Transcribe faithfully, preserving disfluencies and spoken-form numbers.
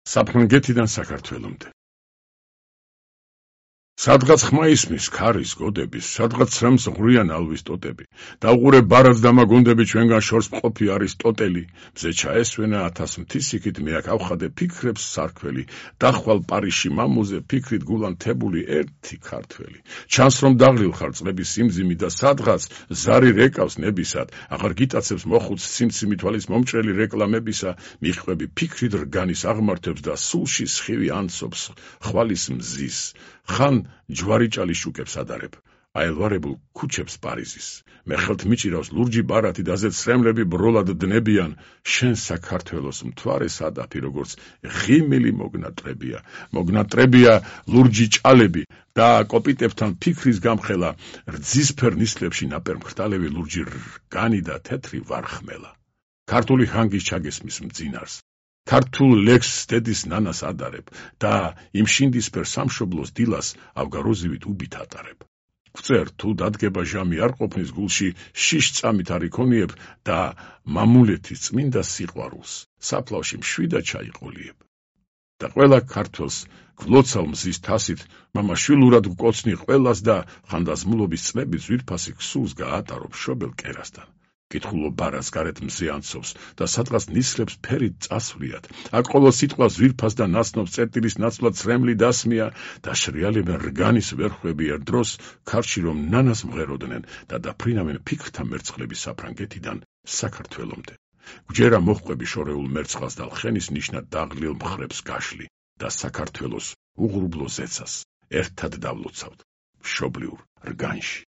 საფრანგეთიდან საქართველომდე. სადღაც ხმა ისმის ქარის გოდების, სადღაც ცრემს ღვრიან ალვის ტოტები. დაუყურე ბარად დამაგონდები ჩვენგან შორს მყოფი არისტოტელი. მზე ჩაესვენა ათას მთისიქით, მე აქ ავხადე ფიქრებს სარქველი. დახვალ პარიში მამუზე, ფიქრით გულანთებული ერთი ქართველი. ჩანს რომ დაღლილ ხარ წლების სიმძიმი და სადღაც ზარი რეკავს ნებისად. აღარ გიტაცებს მოხუც სიმციმი თვალის მომჭრელი რეკლამებისა. მიხვები ფიქრით რგანის აღმართებს და სულში სხივი ანცობს ხვალის მზის. ხან ჯვარი ჭალის შუკებს ადარებ, აელვარებულ ქუჩებს პარიზის. მე ხელთ მიჭირავს ლურჯი ბარათი და ზეც სრემლები ბროლად დნებიან, შენ საქართველოს მთვარე სადაფი როგორც ღიმილი მოგნატრებია. მოგნატრებია ლურჯი ჭალები და კოპიტებთან ფიქრის გამხელა, რძისფერ ნისლებში ნაპერმხტალები ლურჯი რგანი და თეთრი ვარხმელა. ქართული ჰანგის ჩაგესმის მძინარს. ქართულ ლექსს დედის ნანას ადარებ და იმ შინდისფერ სამშობლოს დილას ავგაროზივით უბით ატარებ. გვწერ თუ დადგება ჟამი არ ყოფნის გულში, შიშ წამით არ იქონიებ და მამულეთის წმინდა სიყვარულს საფლავში მშვიდა ჩაიყოლიებ. და ყველა ქართველს გვლოცავ მზის თასით, მამა შვილურად გვკოცნი ყველას და ხანდაზმულობის წლების ძვირფასი ქსულს გაატარო მშობელ კერასთან. კითხულო ბარას გარეთ მზე ანცობს და სადღაც ნისლებს ფერით წასვლიათ. აქ ყოველ სიტყვას ძვირფას და ნაცნობს წერტილის ნაცვლად სრემლი დასმია და შრიალებენ რგანის ვერხვები ერთ დროს ქარში რომ ნანას მღეროდნენ და დაფრინავენ ფიქრთა მერცხლები საფრანგეთიდან საქართველომდე. გვჯერა მოჰყვები შორეულ მერცხალს და ლხენის ნიშნად დაღლილ მხრებს გაშლი და საქართველოს უღრუბლო ზეცას ერთად დავლოცავთ მშობლიურ რგანში.